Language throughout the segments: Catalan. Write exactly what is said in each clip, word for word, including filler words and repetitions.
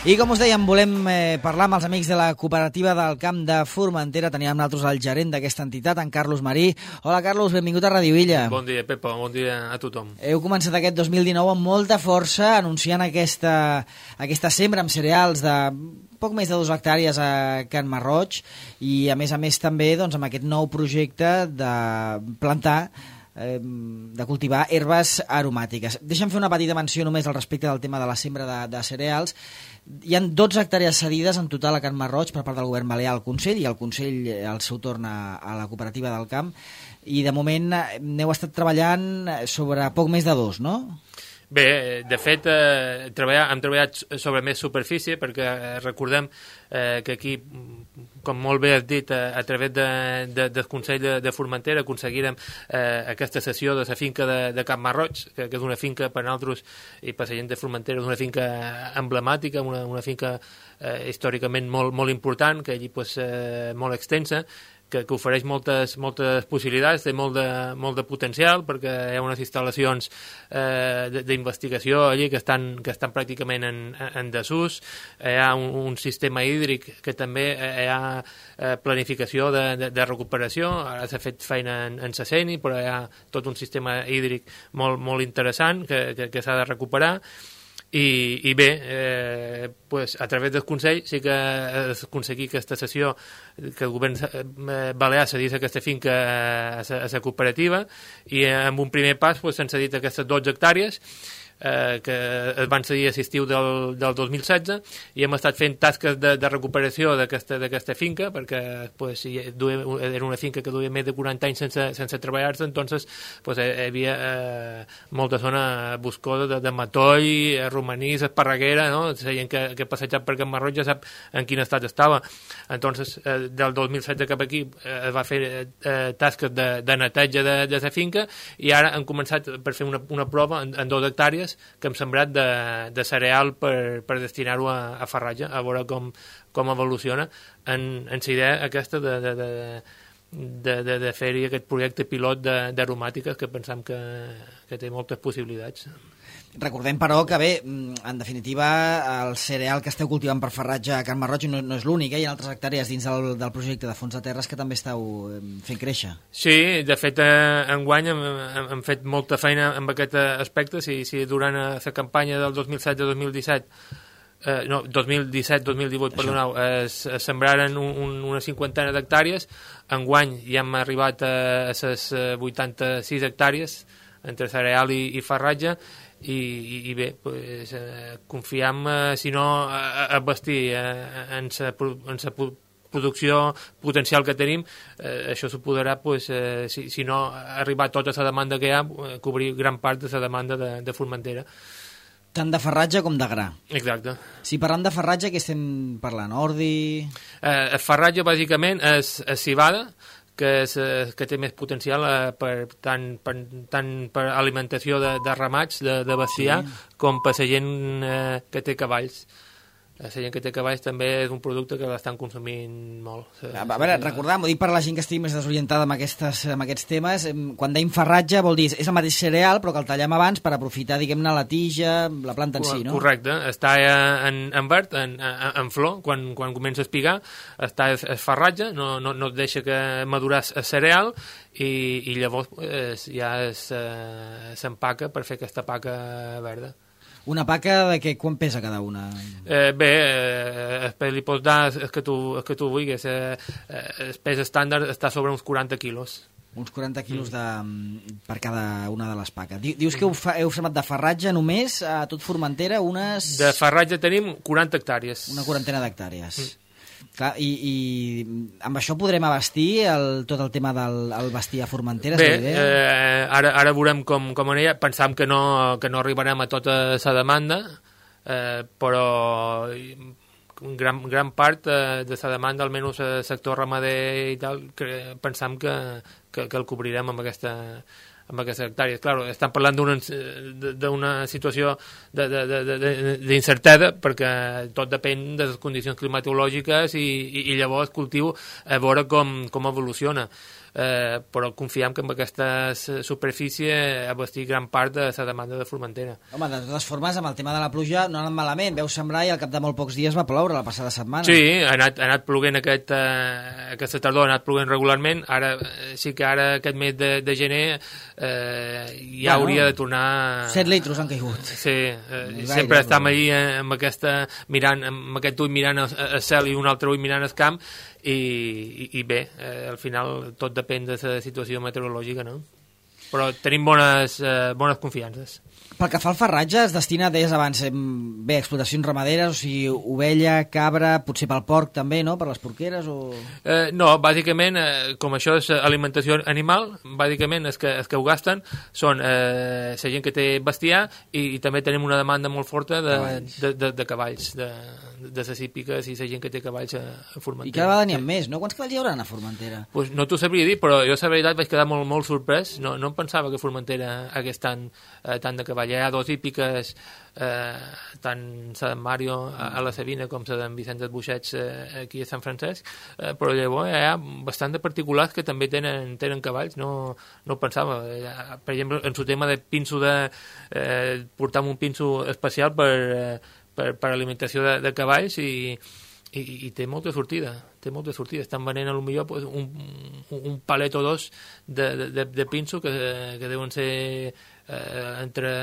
I com us dèiem, volem eh, parlar amb els amics de la cooperativa del Camp de Formentera. Teníem amb nosaltres el gerent d'aquesta entitat, en Carlos Marí. Hola, Carlos, benvingut a Radio Illa. Bon dia, Pepa, bon dia a tothom. Heu començat aquest dos mil dinou amb molta força, anunciant aquesta, aquesta sembra amb cereals de poc més de dues hectàrees a Can Marroig i, a més a més, també doncs, amb aquest nou projecte de plantar de cultivar herbes aromàtiques. Deixa'm fer una petita menció només al respecte del tema de la sembra de, de cereals. Hi ha dotze hectàrees cedides en total a Can Marroig per part del govern balear al Consell, i el Consell al seu torn a, a la cooperativa del camp, i de moment n'heu estat treballant sobre poc més de dos, no? Bé, de fet, eh, treballar, hem treballat sobre més superfície perquè eh, recordem eh, que aquí, com molt bé has dit, a, a través de, de, del Consell de, de Formentera aconseguirem eh, aquesta cessió de la finca de, de Can Marroig, que, que és una finca per nosaltres i per la gent de Formentera, és una finca emblemàtica, una, una finca eh, històricament molt, molt important, que allí pues, eh, molt extensa, que, que ofereix moltes, moltes possibilitats, té molt de, molt de potencial, perquè hi ha unes instal·lacions eh, d'investigació allí que estan, que estan pràcticament en, en desús, hi ha un, un sistema hídric que també hi ha eh, planificació de, de, de recuperació, ara s'ha fet feina en, en Saceni, però hi ha tot un sistema hídric molt, molt interessant que, que, que s'ha de recuperar. I, i bé, eh, pues, a través del Consell sí que es aconseguir aquesta cessió, que el govern balear cedís aquesta finca a la cooperativa, i amb un primer pas pues, s'han cedit aquestes dotze hectàrees eh, que es van cedir a l'estiu del, del dos mil setze, i hem estat fent tasques de, de recuperació d'aquesta finca, perquè pues, duia, era una finca que duia més de quaranta anys sense, sense treballar-se, entonces pues, hi havia eh, molta zona boscosa de, de matoll, romanís, esparreguera, no? La gent que, que ha passejat per Can Marroig ja sap en quin estat estava. Entonces, eh, del dos mil setze cap aquí eh, es va fer eh, tasques de, de neteja de, de la finca, i ara han començat per fer una, una prova en, en dos hectàrees que hem sembrat de, de cereal per, per destinar-ho a, a farratge, a veure com, com evoluciona en, en la idea aquesta de, de, de, de, de, de fer-hi aquest projecte pilot d'aromàtiques que pensam que, que té moltes possibilitats. Recordem, però, que bé, en definitiva, el cereal que esteu cultivant per farratge a Can Marroig no, no és l'únic, eh? Hi ha altres hectàrees dins del, del projecte de fons de terres que també esteu fent créixer. Sí, de fet, eh, enguany hem, hem, hem fet molta feina en aquest aspecte. Si, si durant la campanya del dos mil setze dos mil disset Eh, no, dos mil disset dos mil divuit, perdoneu, es, es sembraren un, un, una cinquantena d'hectàrees. Enguany ja hem arribat a, a les vuitanta-sis hectàrees entre cereal i, i farratge, i, i, i bé, pues, eh, confiam, eh, si no, a, a vestir eh, en la en sa producció potencial que tenim, eh, això suposarà, pues, eh, si, si no arribar a tota la demanda que hi ha, eh, cobrir gran part de la demanda de, de Formentera. Tant de farratge com de gra. Exacte. Si parlem de farratge, què estem parlant? Ordi... Eh, el farratge, bàsicament, és, és civada, que, és, que té més potencial eh, per, tant, per, tant per alimentació de, de ramats, de, de bestiar, sí, com per la gent eh, que té cavalls. La gent que té cavalls també és un producte que l'estan consumint molt. A veure, recordem, ho dic per la gent que estigui més desorientada amb, aquestes, amb aquests temes, quan deim farratge vol dir, és el mateix cereal, però que el tallem abans per aprofitar, diguem-ne, la tija, la planta en si, no? Correcte, està en, en verd, en, en, en flor, quan, quan comença a espigar, està el farratge, no, no, no et deixa que madurar el cereal, i, i llavors pues, ja s'empaca per fer aquesta paca verda. Una paca de què, quan pesa cada una? Eh, bé, eh, el li pots dar el que tu, el que tu vulguis. Eh, el pes estàndard està sobre uns quaranta quilos. Uns quaranta quilos de, per cada una de les paques. Dius que heu, fa, heu semat de farratge només a tot Formentera unes... De farratge tenim quaranta hectàrees. Una quarantena d'hectàrees. Mm. Clar, i, i amb això podrem abastir el, tot el tema del el vestir a Formentera? Bé, eh, ara, ara veurem com, com anirà. Pensam que no, que no arribarem a tota la demanda, eh, però gran, gran part eh, de la demanda, almenys el sector ramader i tal, que pensam que, que, que el cobrirem amb aquesta... amb aquestes hectàrees. Claro, estan parlant d'una situació d'incertesa, perquè tot depèn de les condicions climatològiques i, i, i llavors cultiu a veure com, com evoluciona. eh, però confiem que amb aquesta superfície abastir gran part de la demanda de Formentera. Home, de totes formes, amb el tema de la pluja no ha anat malament, veu sembrar i al cap de molt pocs dies va ploure la passada setmana. Sí, ha anat, ha anat ploguent aquest, eh, aquesta tardor, ha anat ploguent regularment, ara sí que ara aquest mes de, de gener eh, ja bueno, hauria de tornar... set litros han caigut. Sí, eh, sempre estem ahí amb, aquesta, mirant, amb aquest ull mirant el cel i un altre ull mirant el camp i, i, i bé, eh, al final tot depèn de la situació meteorològica, no? Però tenim bones, eh, bones confiances. Pel que fa al farratge, es destina, deies abans, bé, explotacions ramaderes, o sigui, ovella, cabra, potser pel porc també, no?, per les porqueres o...? Eh, no, bàsicament, eh, com això és alimentació animal, bàsicament els que, els que ho gasten són eh, la gent que té bestiar i, i també tenim una demanda molt forta de cavalls, de, de, de, cavalls, de, de les hípiques i la gent que té cavalls a, a Formentera. I cada vegada n'hi ha més, no? Quants cavalls hi haurà a Formentera? Pues no t'ho sabria dir, però jo la veritat vaig quedar molt, molt sorprès, no, no em pensava que Formentera hagués tant, eh, tant de cavall. Hi ha dos hípiques, eh, tant la d'en Mario a, a la Sabina com la d'en Vicent Buixets eh, aquí a Sant Francesc, eh, però llavors hi ha bastant de particulars que també tenen, tenen cavalls, no, no ho pensava. Eh, per exemple, en su tema de pinso, de eh, portar un pinso especial per, eh, per, per alimentació de, de cavalls i I, i té molta sortida, té molta sortida. Estan venent a lo millor pues, un, un palet o dos de, de, de pinso que, que deuen ser eh, entre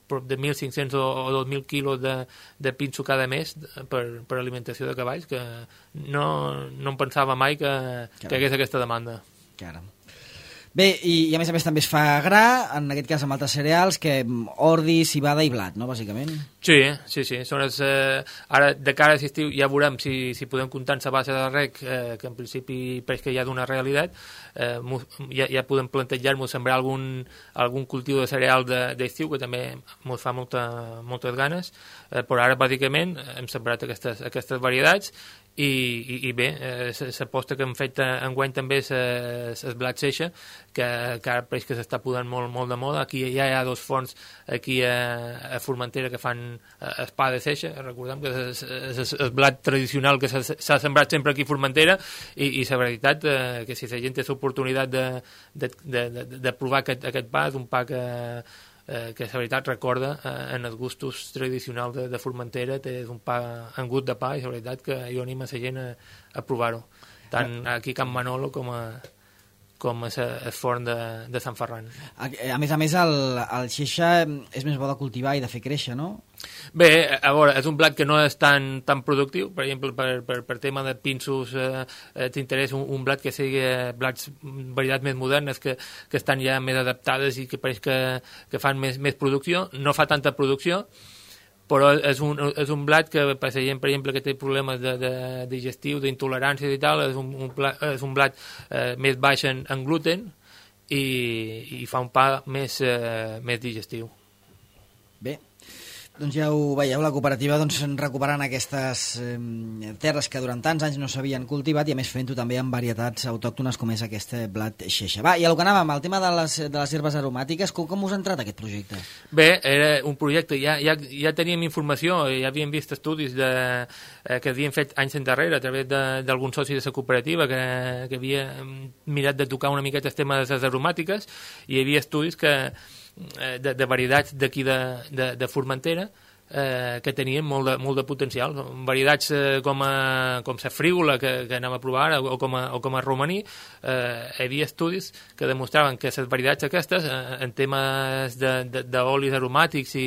prop de mil cinc-cents o, o dos mil quilos de, de pinso cada mes per, per alimentació de cavalls, que no, no em pensava mai que, que hagués aquesta demanda. Caram. Bé, i, i a més a més també es fa gra, en aquest cas amb altres cereals, que ordi, civada i blat, no, bàsicament? Sí, sí, sí. Són els, eh, ara, de cara a l'estiu, ja veurem si, si podem comptar en la base de rec, eh, que en principi pareix que hi ha d'una realitat, eh, ja, ja podem plantejar-nos sembrar algun, algun cultiu de cereal d'estiu, de, que també ens fa molta, moltes ganes, eh, però ara, bàsicament, hem sembrat aquestes, aquestes varietats, i, i, i bé, eh, l'aposta que hem fet enguany també és el blat seixa, que, que ara pareix que s'està posant molt, molt de moda. Aquí ja hi ha dos forns aquí a, a Formentera que fan el pa de seixa, recordem que és, és, és el blat tradicional que s'ha sembrat sempre aquí a Formentera, i, i la veritat eh, que si la gent té l'oportunitat de, de, de, de, de provar aquest, aquest pa, és un pa que Eh, que la veritat recorda eh, en els gustos tradicionals de, de Formentera, té un pa, un gust de pa, i la veritat que jo animo a la gent a, a provar-ho, tant aquí a Can Manolo com a com és el forn de, de Sant Ferran. A, a més a més, el, el xeixa és més bo de cultivar i de fer créixer, no? Bé, a veure, és un blat que no és tan, tan productiu. Per exemple, per, per, per tema de pinsos, eh, t'interessa un, un blat que sigui blats, varietats més modernes, que, que estan ja més adaptades i que pareix que, que fan més, més producció. No fa tanta producció, però és un, és un blat que, per la gent, per exemple, que té problemes de, de digestiu, d'intolerància i tal, és un, un, plat, és un blat eh, més baix en, en gluten i, i fa un pa més, eh, més digestiu. Bé, doncs ja ho veieu, la cooperativa doncs, recuperant aquestes eh, terres que durant tants anys no s'havien cultivat i a més fent-ho també amb varietats autòctones com és aquest blat xeixa. Va, i el que anàvem, el tema de les, de les herbes aromàtiques, com, com us ha entrat aquest projecte? Bé, era un projecte, ja, ja, ja teníem informació, ja havíem vist estudis de, eh, que havien fet anys endarrere a través d'alguns socis de la cooperativa que, que havia mirat de tocar una miqueta el tema de les aromàtiques, i hi havia estudis que De, de varietats d'aquí de, de, de Formentera eh, que tenien molt de, molt de potencial. Varietats eh, com, a, com la frígola que, que anem a provar o com a, o com a romaní, eh, hi havia estudis que demostraven que les varietats aquestes eh, en temes d'olis aromàtics i,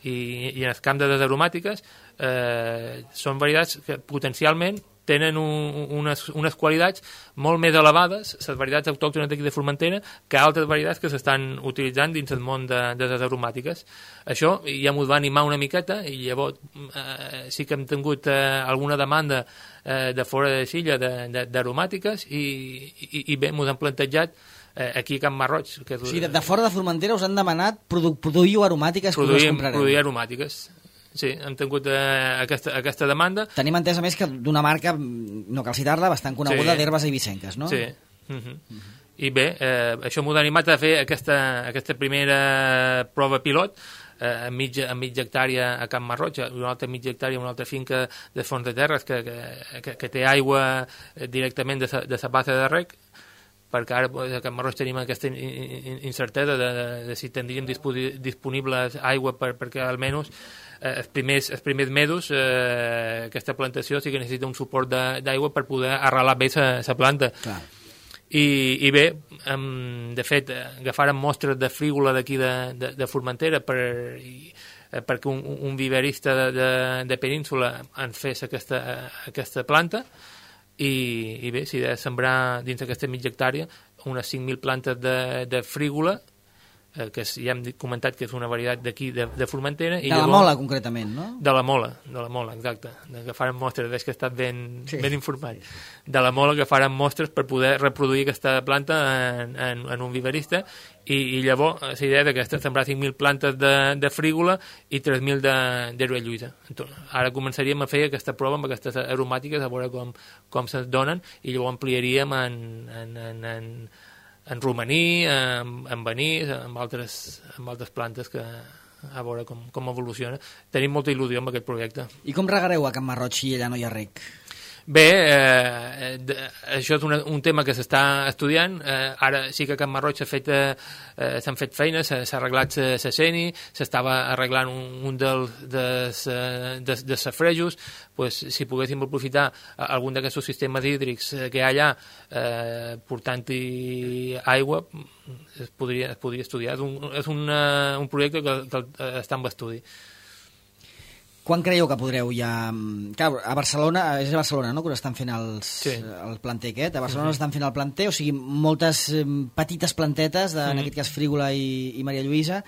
i, i en el camp de les aromàtiques eh, són varietats que potencialment tenen un, unes, unes qualitats molt més elevades, les varietats autòctones d'aquí de Formentera, que altres varietats que s'estan utilitzant dins el món de, de les aromàtiques. Això ja m'ho va animar una miqueta, i llavors eh, sí que hem tingut eh, alguna demanda eh, de fora de Silla d'aromàtiques, i, i, i bé, m'ho han plantejat eh, aquí a Can Marroig. Que és... O sigui, de, de fora de Formentera us han demanat produ produir aromàtiques que us comprareu. Produir aromàtiques. Sí, hem tingut eh, aquesta, aquesta demanda. Tenim entès, a més, que d'una marca, no cal citar-la, bastant coneguda, sí, d'herbes eivissenques, no? Sí. Uh -huh. Uh -huh. I bé, eh, això m'ho ha animat a fer aquesta, aquesta primera prova pilot a mitja, a mitja hectàrea a Can Marroig, una altra mitja hectàrea, una altra finca de Fons de Terres que, que, que té aigua directament de la de sa bassa de rec, perquè ara a Can Marroig tenim aquesta incertesa de, de, de si tindríem disponible aigua per, perquè almenys eh, els, primers, els primers mesos eh, aquesta plantació sí que necessita un suport d'aigua per poder arrelar bé la planta. Clar. I, i bé, um, de fet, agafàrem mostres de frígola d'aquí de, de, de Formentera per, i, eh, perquè un, un viverista de, de, de Península ens fes aquesta, aquesta planta i, i bé, si de sembrar dins d'aquesta mitja hectàrea unes cinc mil plantes de, de frígola, eh, que ja hem comentat que és una varietat d'aquí de, de Formentera. De la llavors, Mola, concretament, no? De la Mola, de la Mola, exacte. Que farem mostres, veig que he estat ben, sí. ben informat. De la Mola, que farem mostres per poder reproduir aquesta planta en, en, en un viverista, i, i llavors la idea és que sembrar cinc mil plantes de, de frígola i tres mil d'herba lluïsa. Ara començaríem a fer aquesta prova amb aquestes aromàtiques, a veure com, com se'ns donen, i llavors ampliaríem en, en, en, en en romaní, en, en banís, amb altres, amb altres plantes que a veure com, com evoluciona. Tenim molta il·lusió amb aquest projecte. I com regareu a Can Marroig si allà no hi ha rec? Bé, eh, de, això és una, un tema que s'està estudiant. Eh, ara sí que a Can Marroig s'ha fet, eh, s'han fet feines, s'ha arreglat la Seni, s'estava arreglant un, un dels des, des, des safrejos. Pues, si poguéssim aprofitar algun d'aquests sistemes hídrics que hi ha allà, eh, portant-hi aigua, es podria, es podria estudiar. És un, és una, un projecte que, que està en estudi. Quan creieu que podreu ja... Clar, a Barcelona, és a Barcelona, no?, que estan fent els, sí. el planter aquest. A Barcelona uh-huh. estan fent el planter, o sigui, moltes eh, petites plantetes, de, uh-huh. en aquest cas Frígola i, i Maria Lluïsa.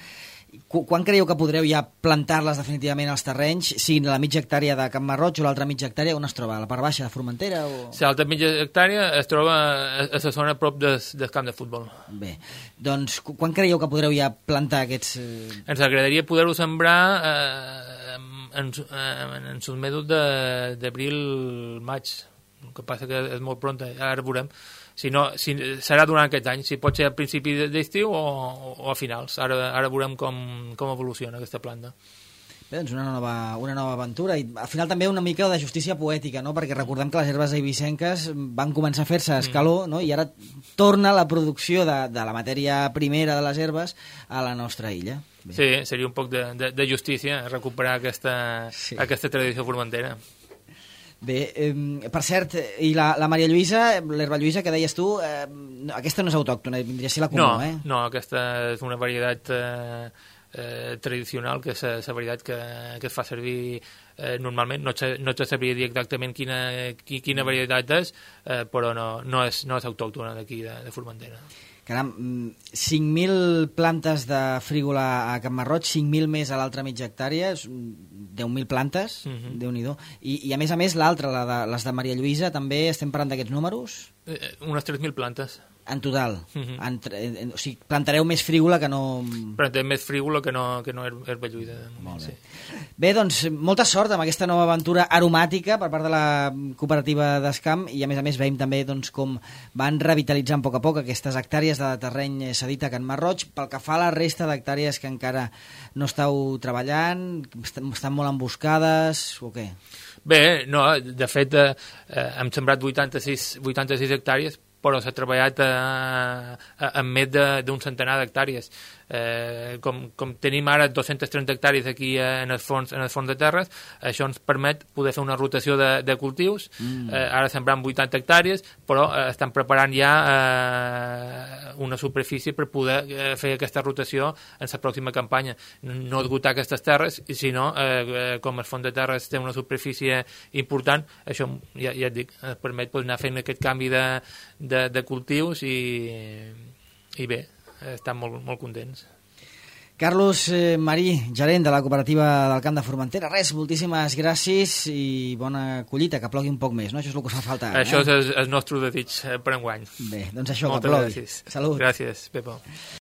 Qu quan creieu que podreu ja plantar-les definitivament als terrenys, siguin la mitja hectàrea de Can Marroig o l'altra mitja hectàrea, on es troba? A la part baixa de Formentera? O... L'altra mitja hectàrea es troba a la zona a prop del, del camp de futbol. Bé, doncs quan creieu que podreu ja plantar aquests... Eh... Ens agradaria poder-ho sembrar... Eh, en, en, en els mesos d'abril-maig, el que passa que és molt pront, ara veurem si no, si serà durant aquest any, si pot ser a principi d'estiu o, o a finals, ara, ara veurem com, com evoluciona aquesta planta. Bé, doncs una nova, una nova aventura, i al final també una mica de justícia poètica, no?, perquè recordem que les herbes eivissenques van començar a fer-se a escaló, no?, i ara torna la producció de, de la matèria primera de les herbes a la nostra illa. Bé. Sí, seria un poc de, de, de justícia recuperar aquesta, sí. aquesta tradició formentera. Bé, eh, per cert, i la, la Maria Lluïsa, l'herba Lluïsa que deies tu, eh, aquesta no és autòctona, vindria a ser la comú, no, eh? No, aquesta és una varietat eh, eh, tradicional, que és la varietat que, que es fa servir eh, normalment. No, no te sabria dir exactament quina, quina varietat és, eh, però no, no, és, no és autòctona d'aquí, de, de Formentera. Caram, cinc mil plantes de frígola a Can Marroig, cinc mil més a l'altra mitja hectàrea, deu mil plantes, uh-huh. Déu-n'hi-do. I, I a més a més l'altra, la de, les de Maria Lluïsa, també estem parlant d'aquests números? Eh, unes tres mil plantes. En total? Uh-huh. en, en, o sigui, plantareu més frígola que no... Plantarem més frígola que no, que no herba lluïda. Molt bé. Sí. Bé, doncs, molta sort amb aquesta nova aventura aromàtica per part de la cooperativa d'Escamp, i a més a més veiem també doncs, com van revitalitzant a poc a poc aquestes hectàrees de terreny cedit a Can Marroig. Pel que fa a la resta d'hectàrees que encara no estàu treballant, estan molt emboscades o què? Bé, no, de fet eh, hem sembrat vuitanta-sis hectàrees, però s'ha treballat amb més d'un centenar d'hectàrees. Eh, com, com tenim ara dos-centes trenta hectàrees aquí en el fons, en el fons de terres, això ens permet poder fer una rotació de, de cultius. Mm. Eh, ara sembrant vuitanta hectàrees, però eh, estan preparant ja eh, una superfície per poder eh, fer aquesta rotació en la pròxima campanya. No esgotar aquestes terres, sinó, eh, com el fons de terres té una superfície important, això ja, ja et dic, ens permet pues, anar fent aquest canvi de, de, de cultius i, i bé, estan molt, molt contents. Carlos eh, Marí, gerent de la cooperativa del Camp de Formentera. Res, moltíssimes gràcies i bona collita, que plogui un poc més, no? Això és el que us fa falta. Això eh? és el nostre desig per enguany. Bé, doncs això, moltes que plogui. Gràcies. Salut. Gràcies, Pepo.